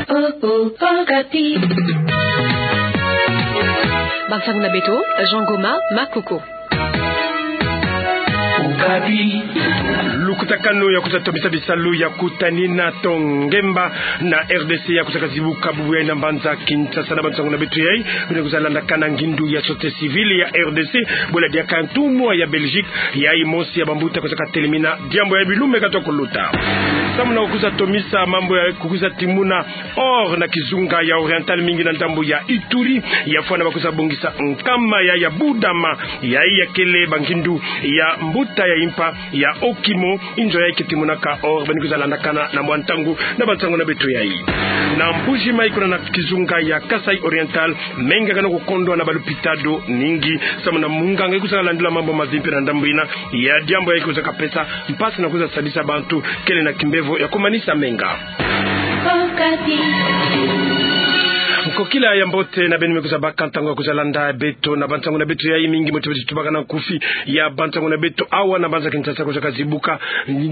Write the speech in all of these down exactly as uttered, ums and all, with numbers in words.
Okapi. Bansango na beto, Jean Goma Makoko. Okapi. Lukutakanu ya kwiza tomisa bisalu ya kutanina to ngemba na R D C ya kwizaka zibuka bubu yayi na mbanza Kinshasa. Na bansango na beto yayi, beno kwiza landakana ngindu ya société civile ya R D C, bwela diaka ntumwa ya Belgique, yayi mosi ya bambuta kwizaka telemina diambu ya bilumbu katwa kuluta. Samu na kwiza tomisa mambu ya kwiza timuna or na kizunga ya Oriental, mingi na ndambu ya Ituri, ya fwana ba kwiza bongisa nkama ya, ya budama, yayi ya kele bangindu ya mbuta ya impa ya Okimo, inzo yayi ke timunaka or. Beno kwiza landakana na mwa ntangu na bansango na beto yayi. Na Mbuji Mayi kuna na kizunga ya Kasaï Oriental, menga kena kukondwa na balupitalo mingi, samu na munganga yi kwizaka landula mambu mabi mpe na ndambu yina ya diambu yayi kwizaka pesa mpasi na kwiza sadisa bantu kele na kimbevo ya kumanisa menga. Nkokila ya mbote na beno me kwiza baka ntangu ya kwiza landa beto na bansango na beto yayi, mingi mbote beto tubaka na nkufi ya bansango na beto awa na mbanza Kinshasa kwizaka zibuka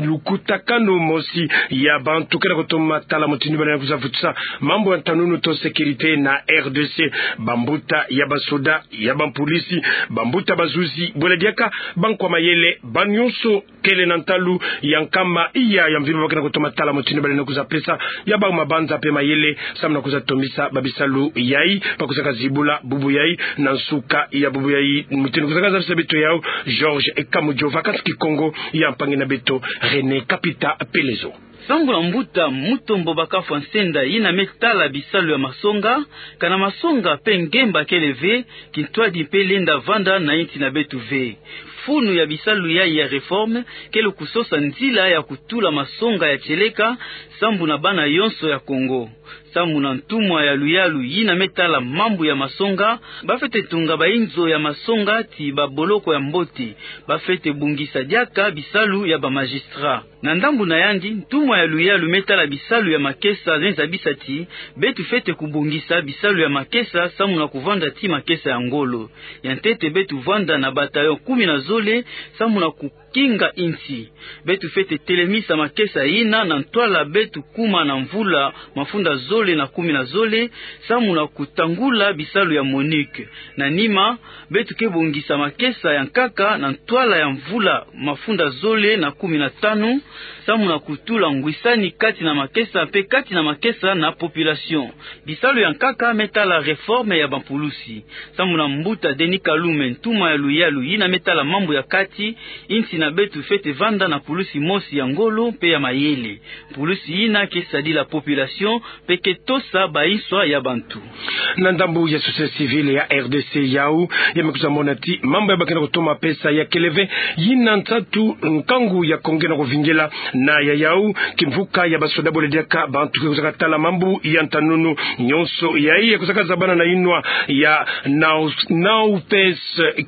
lukutakanu mosi ya bantu kena kutoma tala mutindu balendi kwiza vutusa mambu ya ntanunu to sécurité na R D C. Bambuta ya basoda, ya bampolisi, bambuta bazuzi, bwela diaka bankwa mayele, ba nyonso kele na ntalu ya nkama iya ya mvimba ba kena kutoma tala mutindu balendi kwiza pesa ya bau mabanza mpe mayele, samu na kwiza tomisa babisalu yayi ba kwizaka zibula bubu yayi na nsuka ya bubu yayi. Mutindu kwizaka zabisa beto yawu Georges Kamujova, kansi Kikongo ya mpangi na beto René Kapita Pelezo. Sambu na mbuta Mutombo Bakafwa Nsenda yina me tala bisalu ya masonga, kana masonga mpe ngemba kele ve, kintwadi mpe lenda vanda na insi na beto ve. Funu ya bisalu yayi ya réforme kele kusosa nzila ya kutula masonga ya tieleka sambu na bana yonso ya Kongo. Sambu na ntumwa ya luyalu yina me tala mambu ya masonga, ba fwete tunga bainzo ya masonga ti baboloko ya mbote, ba fwete bongisa diaka bisalu ya bamagistrat. Na ndambu na yandi, ntumwa ya luyalu me tala bisalu ya makesa me zabisa ti beto fwete kubongisa bisalu ya makesa samu na kuvanda ti makesa ya ngolo. Ya ntete beto vanda na bataillon kumi na zole samu na kukinga insi. Beto fwete telemisa makesa yina na ntwala beto kuma na mvula mafunda zole na kumi na zole samu na kutangula bisalu ya MONUC. Na nima, beto ke bongisa makesa ya nkaka na ntwala ya mvula mafunda zole na kumi na tanu, samu na kutula ngwisani kati na makesa mpe kati na makesa na population. Bisalu ya nkaka me tala réforme ya bapulusi. Samu na mbuta Denis Kalume, ntumwa ya luyalu yina me tala mambu ya kati, insi na beto fwete vanda na pulusi mosi ya ngolo mpe ya mayele. Pulusi yina ke sadila population mpe ke tosa bainswa ya bantu. Na ndambu ya société civile ya R D C yawu, ya me kwiza mona ti mambu ya ba kena kutoma pesa ya kele ve, yina nsatu nkangu ya Kongo kena kuvingila. Na ya yawu, kimvuka ya basoda bole diaka bantu ke kwizaka tala mambu ya ntanunu, nyonso yayi ya kwizaka zabana na yinwa ya Nau-, Naupes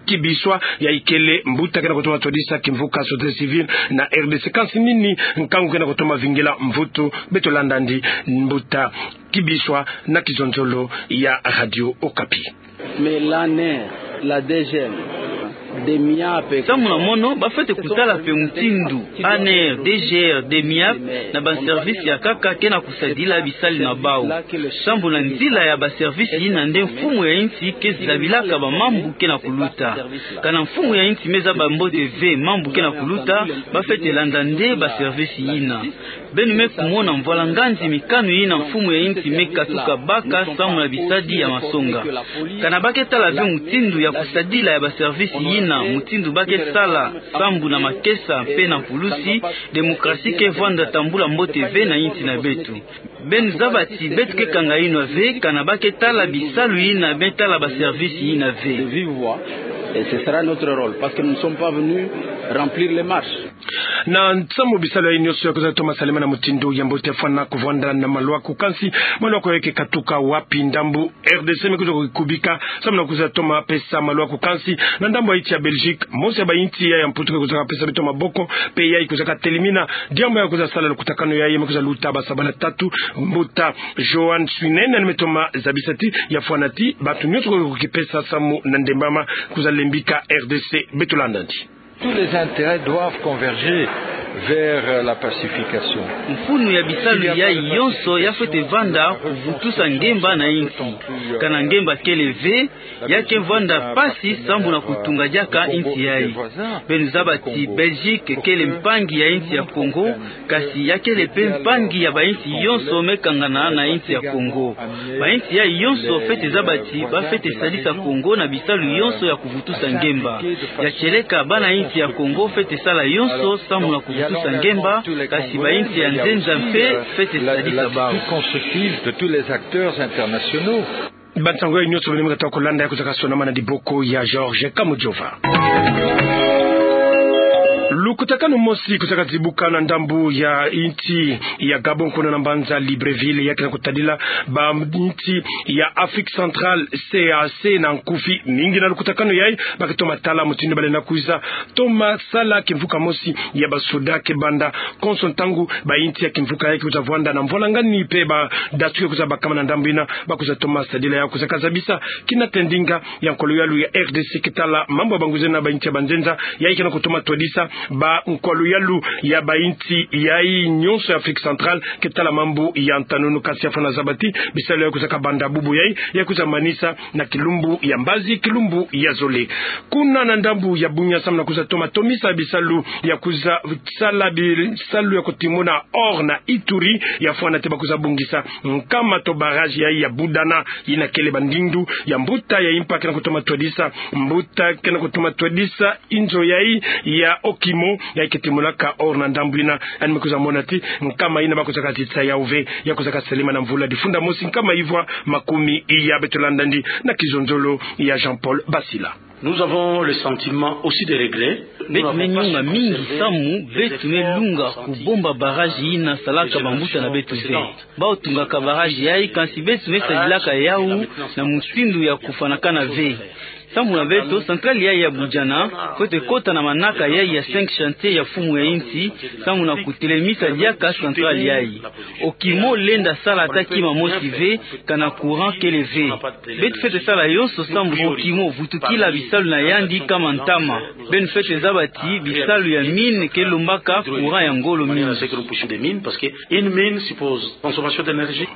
Kibiswa, yayi kele mbuta kena kutoma twadisa kimvuka société civile na R D C. Kansi nini nkangu kena kutoma vingila mvutu? Beto landa ndi mbuta Kibiswa na kizonzolo ya Radio Okapi. Mais l'ANR, la D G M, DEMIAP. Samu na mono, ba fwete kutala mpe mutindu ANR, DGR, DEMIAP na ba service ya nkaka kena kusadila bisali na bawu. Sambu na nzila ya ba service yina nde mfumu ya insi ke zabilaka ba mambu kena kuluta. Kana mfumu ya insi me zaba mbote ve mambu kena kuluta, ba fwete landa nde ba service yina. Beno me kumona mvwala nganzi mikanu yina mfumu ya insi me katuka baka samu na bisadi ya masonga. Kana ba ke tala ve mutindu ya kusadila ya ba service yina, mutindu ba ke sala sambu na makesa mpe na pulusi, démocratie ke vwanda tambula mbote ve na insi na beto. Beno zaba ti beto ke kanga yinwa ve kana ba ke tala bisalu yina me tala ba service yina ve. De vive voix, et ce sera notre rôle, parce que nous ne sommes pas venus remplir les marches. Na nsamu bisalu yayi nyonso ya kwiza toma salama na mutindu ya mbote, fwana kuvwanda na malwaku. Kansi malwaku yayi ke katuka wapi? Ndambu R D C me kwiza kukubika samu na kwiza toma pesa malwaku. Kansi na ndambu ya insi ya Belgique, mosi ya ba insi ya, ya Mputu ke kwizaka pesa beto maboko, mpe yayi kwizaka telemina diambu ya kwiza sala lukutakanu yayi. Me kwiza luta ba sabala tatu, mbuta Johan Swinen, yandi me toma zabisa ti ya fwana ti bantu nyonso ke kukipesa samu na ndembama kwiza lembika R D C. Beto landa ndi. Tous les intérêts doivent converger. vers la pacification. Mfunu ya bisalu yai yonso ya fwete vanda kuvutusa ngemba na insi. Kana ngemba kele ve, ya ke vanda mpasi sambu na kutunga diaka insi yai. Beno zaba ti Belgique kele mpangi ya insi ya Congo, kasi ya kele mpe mpangi ya bainsi yonso me kangana na insi ya Congo. Bainsi yai yonso fwete zaba ti ba fwete sadisa Congo na bisalu yonso ya kuvutusa ngemba. Ya tieleka bana insi ya Congo fwete sala yonso sambu na kuvutusa ngemba, kasi bainsi ya nzenza mpe fwete sadisa bau. Constructive de tous les acteurs internationaux. Bansangu yai nyonso beno me kata kulanda ya kuzaka sonama na diboko ya Georges Kamujova. Lukutakanu mosi kuzaka zibuka na ndambu ya insi ya Gabon kuna na mbanza Libreville, ya ke na kutadila bainsi ya Afrique Centrale, C E E A C na nkufi. Mingi na lukutakanu yai, ba ke toma tala mutindu ba lenda kwiza toma sala kimvuka mosi ya basoda ke banda konso ntangu bainsi ya kimvuka yai ke kwiza vwanda na mvwalangani mpe badatu ke kwiza bakama na ndambu ina, ba kwiza toma sadila ya kuzaka zabisa kina tendinga ya nkolo yalu ya R D C ke tala mambu ya bangwiza na bainsi ya banzenza, yai ke na kutoma twadisa ba nkolo yalu ya bainsi yai nyonso ya Afrique Centrale ke tala mambu ya ntanunu, kasi ya fwana zaba ti bisalu ya kuzaka banda bubu yai, ya kwiza manisa na kilumbu ya mbazi, kilumbu ya zole. Kuna na ndambu ya Bunia, samu na kwiza toma tomisa bisalu ya kwiza sala bisalu ya kutimuna or na Ituri, ya fwana ti ba kwiza bongisa nkama to barrage yai ya Budana, ina kele bandindu ya mbuta ya impa ke na kutoma twadisa, mbuta ke na kutoma twadisa inzo yai ya Okimo, yai ke timunaka or na ndambu ina. Yandi me kwiza mona ti nkama ina ba kwizaka titisa yau ve, ya kwizaka selema na mvula difunda mosi nkama ivwa makumi iya. Beto landa yandi na kizonzolo ya Jean-Paul Basila. Nous avons le sentiment aussi de regret. Beto me nyonga mingi samu beto me lunga kubomba barrage ina salaka bambuta na beto ve. Bau tungaka barrage yai, kansi beto me sadilaka yau na mutindu ya kufwanakana ve. Samu na beto, centrale yai ya Budiana fwete kota na manaka yai ya cinq chantiers ya mfumu ya insi, samu na kutelemisa diaka centrale yai. Okimo lenda sala ata kima mosi ve, kana courant kele ve. Beto fwete sala yonso samu Okimo vutukila bisalu na yandi kama ntama. Beno fwete zaba ti bisalu ya mine ke lombaka courant ya ngolo mingi. Une mine suppose consommation d'énergie.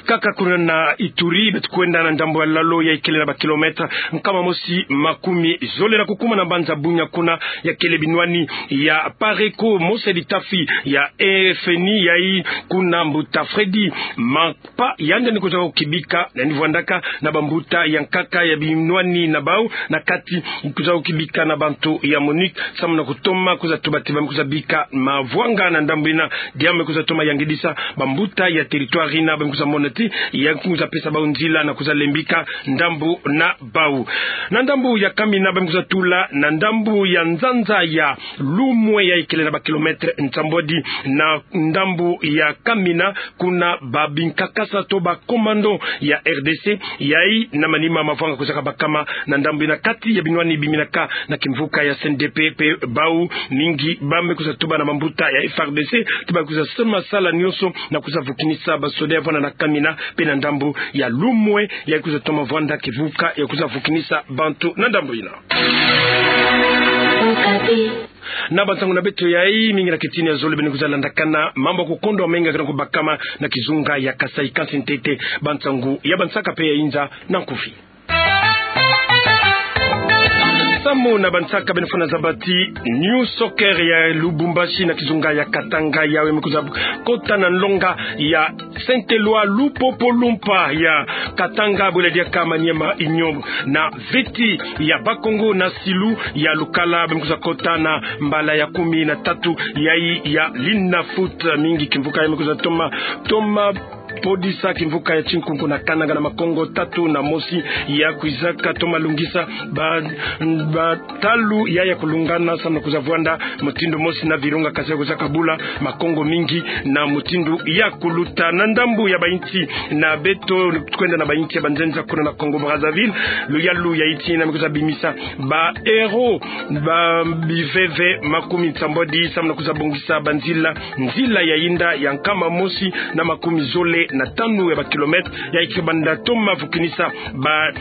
Kaka kuna na Ituri, beto kwenda na ndambu ya lalo yai kele na ba kilomètre nkama mosi makumi zole na kukuma na mbanza Bunia, kuna ya kele binwani ya Pareco, mosi ya bitafi ya F N I yai. Kuna mbuta Freddy Mampa, yandi ni kwiza kibika, yandi vwandaka na bambuta ya nkaka ya binwani na bau, na kati kwiza kibika na bantu ya MONUC, samu na kutoma kwiza tuba ti ba me kwiza bika mavwanga na ndambu ina, diambu me kwiza toma yangidisa bambuta ya territoire ina, ba me kwiza mona ti ya kwiza pesa bau nzila na kwiza lembika ndambu na bau. Na ndambu ya Kamina, ba me kwiza tula na ndambu ya nzanza ya Lumwe yai kele na ba kilomètre nsambwadi na ndambu ya Kamina, kuna ba binkakasa to ba commando ya R D C yai na manima mavwanga kwizaka bakama na ndambu ina, kati ya binwani biminaka na kimvuka ya C N D P, mpe bau mingi ba me kwiza tuba na bambuta ya F A R D C ti ba kwiza sema sala nyonso na kwiza vukinisa basoda ya vwanda na Kamina, mpe na ndambu ya Lumwe yai kwiza toma vwanda kivuka ya kwiza vukinisa bantu na ndambu ina. Na bansangu na beto yai, mingi na kitini ya zole beno kwiza landakana mambu ya kukondo menga ke na kubakama na kizunga ya Kasaï, kansi ntete bansangu ya bansaka mpe ya inza na nkufi. Samu na bansaka, beno fwana zaba ti New Soccer ya Lubumbashi na kizunga ya Katanga, yawu me kwiza kota na nlonga ya Saint-Éloi Lupopo Lumpa ya Katanga, bwela diaka Maniema Union na veti ya Bakongo na Silu ya Lukala, ba me kwiza kota na mbala ya kumi na tatu yai ya Linafoot. Mingi kimvuka yai me kwiza toma, toma podisa kimvuka ya Tinkunku na Kananga na makongo tatu na mosi, ya kwizaka toma lungisa ba, ba talu yai ya kulungana samu na kwiza vwanda mutindu mosi na Virunga, kansi ya kwizaka bula makongo mingi na mutindu ya kuluta. Na ndambu ya bainsi na beto, kwenda na bainsi ya banzenza, kuna na Congo Brazzaville, luyalu ya insi ina me kwiza bimisa ba euro ba biveve makumi nsambwadi samu na kwiza bongisa banzila, nzila ya inda ya nkama mosi na makumi zole na tanu ya ba kilomètre, yayi ke banda toma vukinisa ba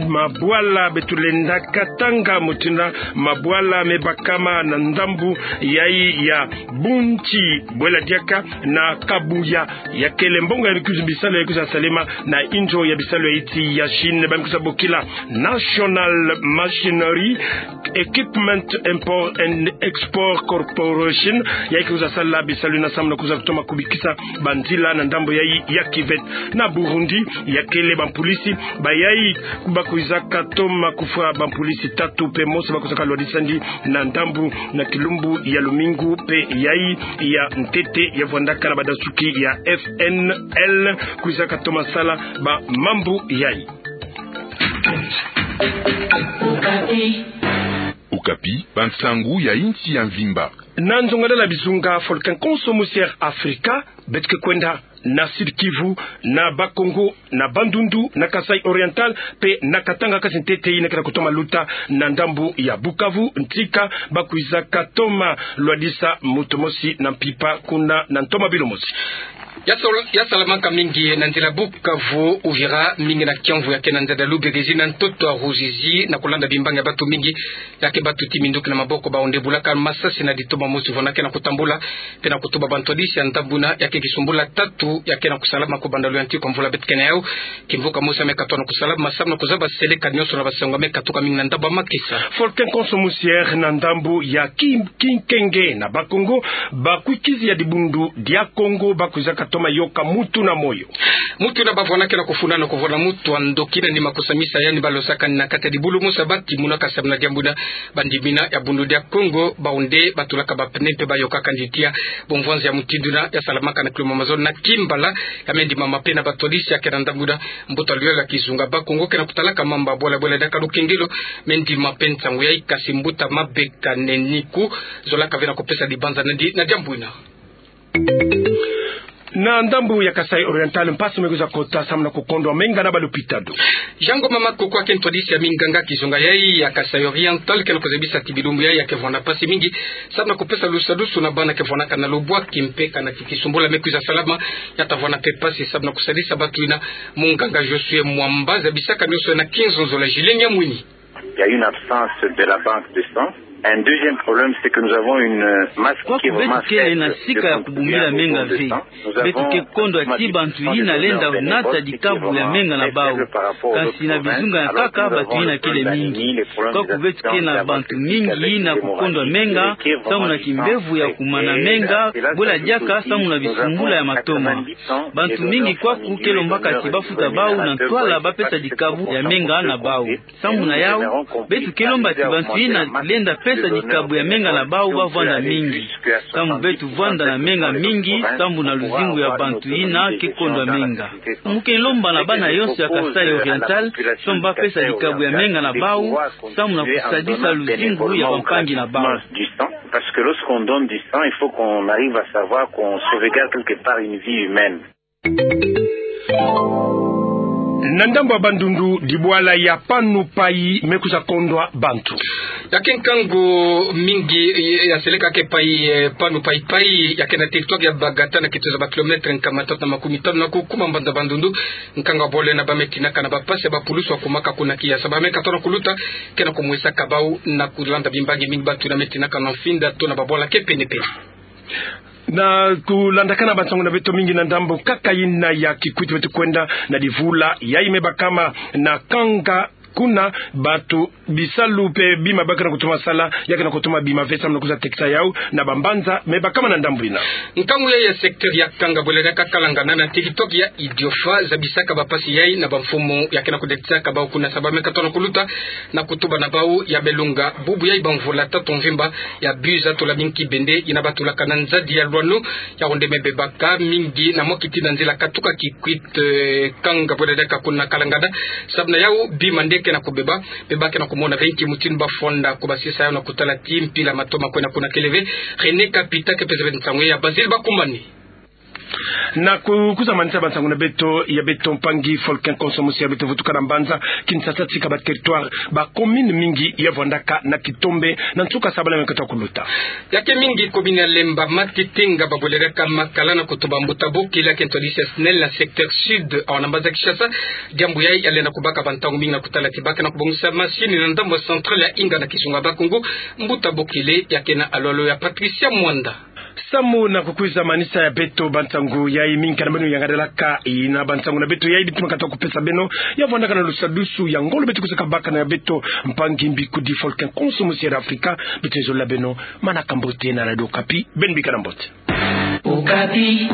mabwala beto lenda katanga, mutindu mabwala me bakama na ndambu yayi ya Bunti, bwela diaka na Kabuya. Ya kele mbongo ya bikuzi bisalu yayi kwiza salema na inzo ya bisalu ya insi ya Chine, ba me kwiza bokila National Machinery Equipment Import and Export Corporation, yayi ke kwiza sala bisalu yina samu na kwiza kutoma kubikisa banzila na ndambu yayi ya kiveti. Na Burundi, ya kele bampolisi bayayi ba kwizaka toma kufwa, bampolisi tatu pe mosi ba kwizaka lwadisa ndi na ndambu na kilumbu ya lumingu pe yayi ya ntete ya vwandaka na badasuki ya F N L kwizaka toma sala ba mambu yayi. Okapi, bansangu ya insi ya mvimba. Na nzongadala bizunga, Volcan Konso musi Air Africa, beto ke kwenda na Sud-Kivu, na Bas-Congo, na Bandundu, na Kasaï Oriental, pe na Katanga, kasi ntete yina ke na kutoma luta na ndambu ya Bukavu, ntika ba kwizaka toma lwadisa moto mosi na mpimpa kuna na ntoma bilo mosi. Ya sal-, ya salamaka mingi na nzila Bukavu, Uvira, mingi na kiamvu ya ke na nzada Luberizi na ntoto ya Ruzizi, na kulanda bimbangi ya bantu mingi ya ke batuti minduki na maboko, bawu nde bulaka masasi na ditoma mosi vwanda ke na kutambula, pe na kutuba bantu hadisi ya ndambu yina ya ke kisumbula tatu ya ke na kusalama kubanda luyantiku ya mvula beto ke na yawu. Kimvuka mosi ya me katuka na kusalama samu na kuzaba seleka nionso na basangu ya me katuka mingi na ndambu ya makesa. Volcan Konso musi Air na ndambu ya Ki-, Kinkenge na Bas-Congo, bakwikizi ya dibundu dia Congo ba kwizaka toma yoka mutu na moyo. Mutu yina ba vwanda ke na kufuna na kuvwanda mutu ya ndoki na nima kusamisa yandi ba losakani na kati ya dibulu mosi ya batimunaka samu na diambu yina. Bandimi yina ya Bundu dia Congo, bawu nde batulaka ba pneu pe bayokaka ndi tiya. Bumvwanzi ya mutindu yina ya salamaka na kilomètre mazono na kimbala ya me ndimama pe na bantu hadisi ya ke na ndambu yina. Mbuta luyala kizunga Bas-Congo ke na kutalaka mamba bwala bwala diaka lukengelo me ndima pe nsangu yayi, kasi mbuta Mabeka Neniku zolaka ve na kupesa dibanza na ndi na diambu yina. Na ndambu ya Kasaï Oriental, mpasi me kwiza kota samu na kukondwa menga na balopitalo. Jean Ngoma Makoko, ya ke ntu hadisi ya minganga kizunga yayi ya Kasaï Oriental, ke na kuzabisa ti bilumbu yayi ya ke vwanda mpasi mingi samu na kupesa lusadusu na bana ke vwandaka na lubwaki, mpe kana ti kisumbula me kwiza salama, ya ta vwanda mpe mpasi samu na kusadisa bantu yina. Munganga Josué Mwamba zabisaka nionso na Kinzonzo la Gilles Nyamwini. Il y a une absence de la banque de sang. Un deuxième problème, c'est que nous avons une masse qui est vraiment faible de contribuables au don de sang. Kwaku beto kele na sika ya kubumila menga ve. Beto ke kondwa ti bantu yina lenda nata dikabu ya menga na bawu. Kasi na bizunga ya nkaka, bantu yina kele mingi. Kwaku beto ke na bantu mingi yina kukondwa menga samu na kimbevo ya kumana menga, bwela diaka samu na bisumbula ya matoma. Bantu mingi kwaku ke lombaka ti ba futa bawu na ntwala ba pesa dikabu ya menga na bawu. Samu na yawu, beto ke lomba ti bantu yina lenda pesa dikabu ya menga na bawu ba vwanda mingi. Samu beto vwanda na menga mingi, samu na luzingu ya bantu yina ke kondwa menga. Mu ke lomba na bana yonso ya Kasaï Oriental, samu ba pesa dikabu ya menga na bawu, samu na kusadisa luzingu ya bampangi na bawu. Parce que lorsqu'on donne du sang, il faut qu'on arrive à savoir qu'on sauvegarde quelque part une vie humaine. Na ndambu ya Bandundu, dibwala ya Panu Pai me kwiza kondwa bantu. Ya ke nkangu mingi, ya seleka ke pai, eh, Panu Pai Pai, ya ke na territoire ya Bagata na kituza ba kilomètre nkama tatu na makumi tanu na kukuma mbanza Bandundu. Nkangu ya bwala yina ba me tinaka na ba mpasi ya bapulusu ya kumaka kuna kiyasa ba me katuka na kuluta, ke na kumwisaka bawu na kulanda bimbangi mingi bantu yina me tinaka na mfinda to na babwala ke pene-pene. Na kulandakana bansangu na beto mingi na ndambu nkaka yina ya Kikwit, beto kwenda na divula yayi me bakama na Kanga, kuna bantu bisalu mpe bima ba ke na kutuma sala, ya ke na kutuma bima ve samu na kwiza tekisa yawu na bambanza me bakama na ndambu yina. Nkangu yayi ya secteur ya Kanga, bwela diaka Kalangana, na territoire ya Idiofa, zabisaka bampasi yayi na bamfumu ya ke na kudetisaka bawu kuna, samu ba me katuka na kuluta na kutuba na bawu ya me longa bubu yayi bamvula tatu mvimba ya bus Atula Minki Bende, yina batulaka na nzadi ya Lwanu, yawu nde me bebaka mingi na mwa kiti na nzila katuka Kikwit, eh, Kanga, bwela diaka kuna Kalangana. Samu na yawu, bima nde ke na kubeba, bima ke na kumona ve nki mutindu ba fwanda kubasisa yawu na kutala ti mpila matoma kwenda kuna kele ve. René Kapita ke pesa ve nsangu ya Basile Bakumbani. Na ku-, kuzamanisa bansangu na beto, ya beto mpangi Folkin Konso Musiere, beto vutuka na mbanza Kinshasa tika ba territoire, ba commune mingi ya vwandaka na kitombe na nsuka sabala mia katoa kuluta. Ya ke mingi commune ya Lemba, Matete, Ngaba, Bwelele, Makala na kutuba mbuta bokele ya ke ntwadisi ya SNEL na secteur sud, awa na mbanza Kinshasa. Diambu yayi ya lenda kubaka bantangu mingi na kutala tibaka na kubongisa masini na ndambu ya centrale ya Inga na kizunga Bakongo. Mbuta bokele ya ke na alolo ya Patricia Mwanda. Samu na kukwiza manisa ya beto bansangu yayi, mingi kana beno yangadelaka, ina bansangu na beto yayi beto ma katoa kupesa beno, ya vwandaka na lusadusu ya ngolo beto kwiza kabaka na ya beto mpangi mbikudi Folkin Konso Musiere ya Afrika. Beto yozolila beno manaka mbote na Radio Okapi, beno bikana mbote. Okapi.